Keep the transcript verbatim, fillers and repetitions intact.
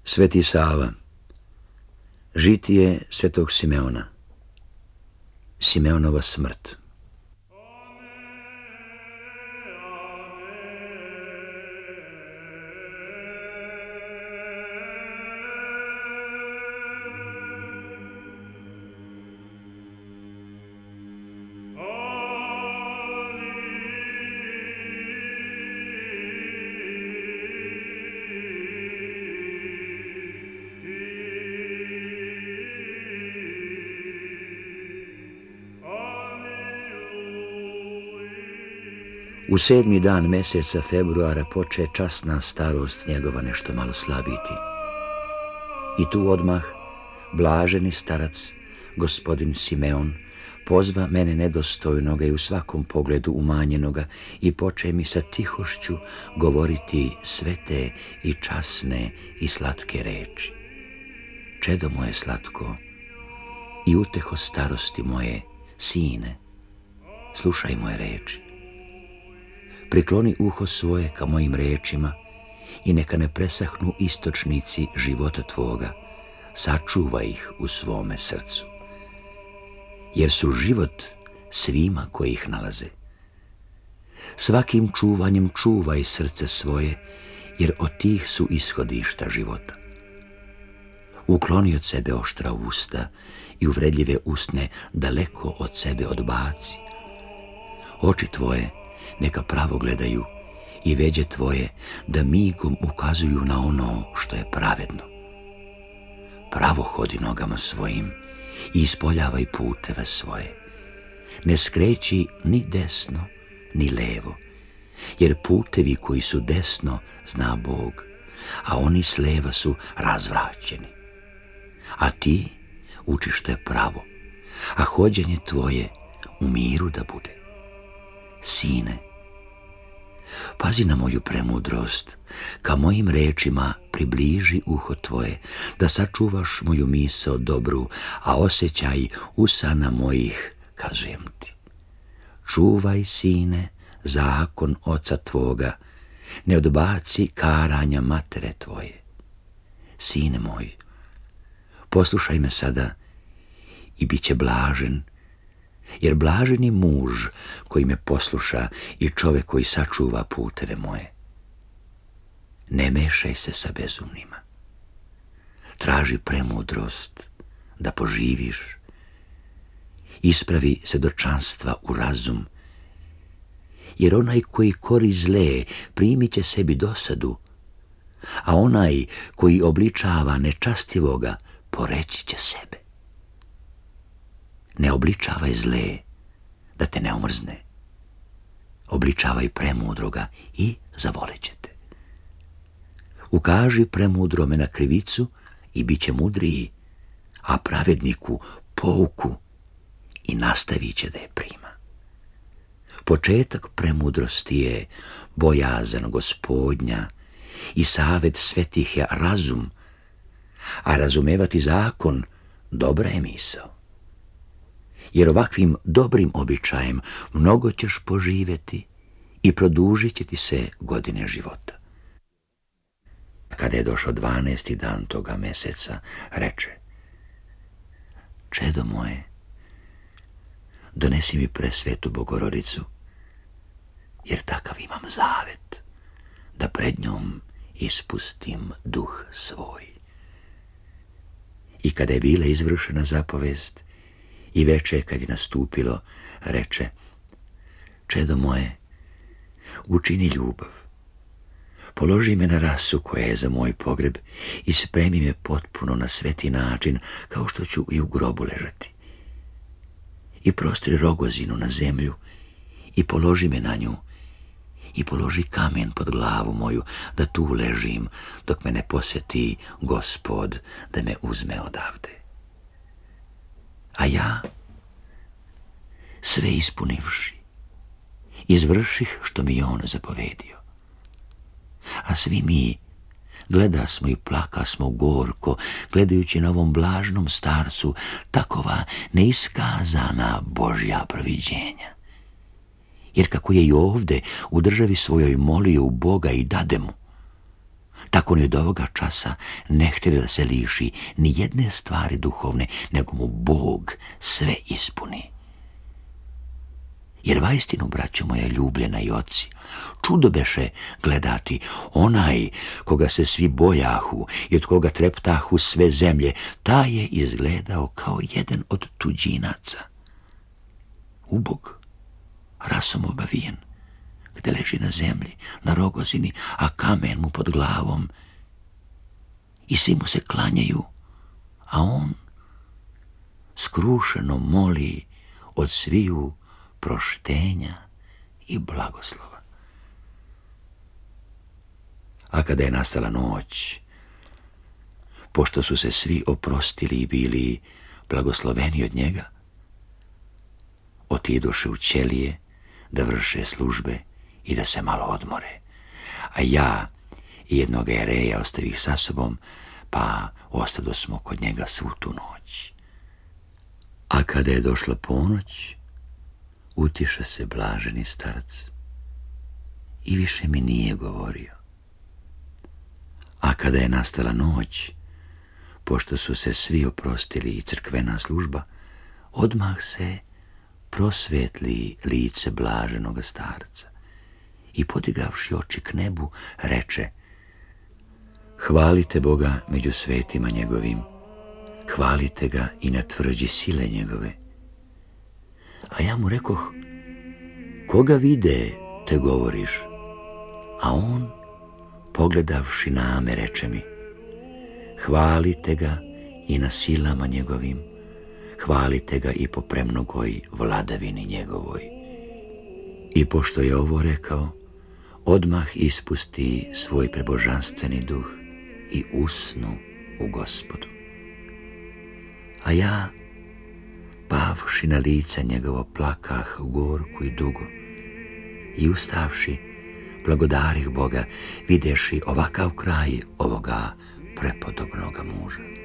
Sveti Sava. Žitije svetog Simeona. Simeonova smrt. U sedmi dan meseca februara poče časna starost njegova nešto malo slabiti. I tu odmah blaženi starac, gospodin Simeon, pozva mene nedostojnoga i u svakom pogledu umanjenoga i poče mi sa tihošću govoriti svete i časne i slatke reči. Čedo moje slatko i uteho starosti moje, sine, slušaj moje reči. Prikloni uho svoje ka mojim rečima i neka ne presahnu istočnici života tvoga, sačuvaj ih u svome srcu. Jer su život svima koji ih nalaze. Svakim čuvanjem čuvaj srce svoje, jer od tih su ishodišta života. Ukloni od sebe oštra usta i uvredljive usne daleko od sebe odbaci. Oči tvoje neka pravo gledaju i veđe tvoje da migom ukazuju na ono što je pravedno. Pravo hodi nogama svojim i ispoljavaj puteve svoje. Ne skreći ni desno ni levo, jer putevi koji su desno zna Bog, a oni s leva su razvraćeni. A ti uči što je pravo, a hođenje tvoje u miru da bude. Sine, pazi na moju premudrost, ka mojim rečima približi uho tvoje, da sačuvaš moju misao dobru, a osjećaj usana mojih, kazujem ti. Čuvaj, sine, zakon oca tvoga, ne odbaci karanja matere tvoje. Sine moj, poslušaj me sada i bit će blažen, jer blažen je muž koji me posluša i čovek koji sačuva puteve moje. Ne mešaj se sa bezumnima. Traži premudrost da poživiš. Ispravi sedočanstva u razum, jer onaj koji kori zle primit će sebi dosadu, a onaj koji obličava nečastivoga poreći će sebe. Ne obličavaj zle, da te ne omrzne. Obličavaj premudroga i zavolit će te. Ukaži premudrome na krivicu i bit će mudriji, a pravedniku pouku i nastavit će da je prima. Početak premudrosti je bojazan Gospodnja i savet svetih je razum, a razumevati zakon dobra je misao. Jer ovakvim dobrim običajem mnogo ćeš poživjeti i produžit će ti se godine života. Kada je došao dvanaesti dan toga meseca, reče: Čedo moje, donesi mi presvetu Bogorodicu, jer takav imam zavet, da pred njom ispustim duh svoj. I kada je bila izvršena zapovest, i veče kad je nastupilo, reče: Čedo moje, učini ljubav. Položi me na rasu koja je za moj pogreb i spremi me potpuno na sveti način, kao što ću i u grobu ležati. I prostri rogozinu na zemlju i položi me na nju i položi kamen pod glavu moju, da tu ležim dok me ne posjeti Gospod da me uzme odavde. A ja, sve ispunivši, izvrših što mi je on zapovedio. A svi mi gledasmo i plakasmo gorko, gledajući na ovom blažnom starcu takova neiskazana Božja proviđenja. Jer kako je i ovde u državi svojoj molio u Boga i dade mu, Tako ni od ovoga časa ne htjeli da se liši ni jedne stvari duhovne, nego mu Bog sve ispuni. Jer vaistinu, braćo moja ljubljena i oci, čudo beše gledati onaj koga se svi bojahu i od koga treptahu sve zemlje, taj je izgledao kao jedan od tuđinaca. Ubog, rasom obavijen, gde leži na zemlji, na rogozini, a kamen mu pod glavom. I svi mu se klanjaju, a on skrušeno moli od sviju proštenja i blagoslova. A kada je nastala noć, pošto su se svi oprostili i bili blagosloveni od njega, otidoše u ćelije da vrše službe i da se malo odmore. A ja i jednog Jereja ostavih sa sobom, pa ostadosmo kod njega svu tu noć. A kada je došla ponoć, utiša se blaženi starac i više mi nije govorio. A kada je nastala noć, pošto su se svi oprostili i crkvena služba, odmah se prosvetli lice blaženoga starca i podigavši oči k nebu, reče: hvalite Boga među svetima njegovim, hvalite ga i na tvrđi sile njegove. A ja mu rekoh: koga vide, te govoriš? A on, pogledavši na me, reče mi: hvalite ga i na silama njegovim, hvalite ga i po premnogoj vladavini njegovoj. I pošto je ovo rekao, odmah ispusti svoj prebožanstveni duh i usnu u Gospodu. A ja, pavši na lice njegovo, plakah gorku i dugo i ustavši, blagodarih Boga, videši ovakav kraj ovoga prepodobnoga muža.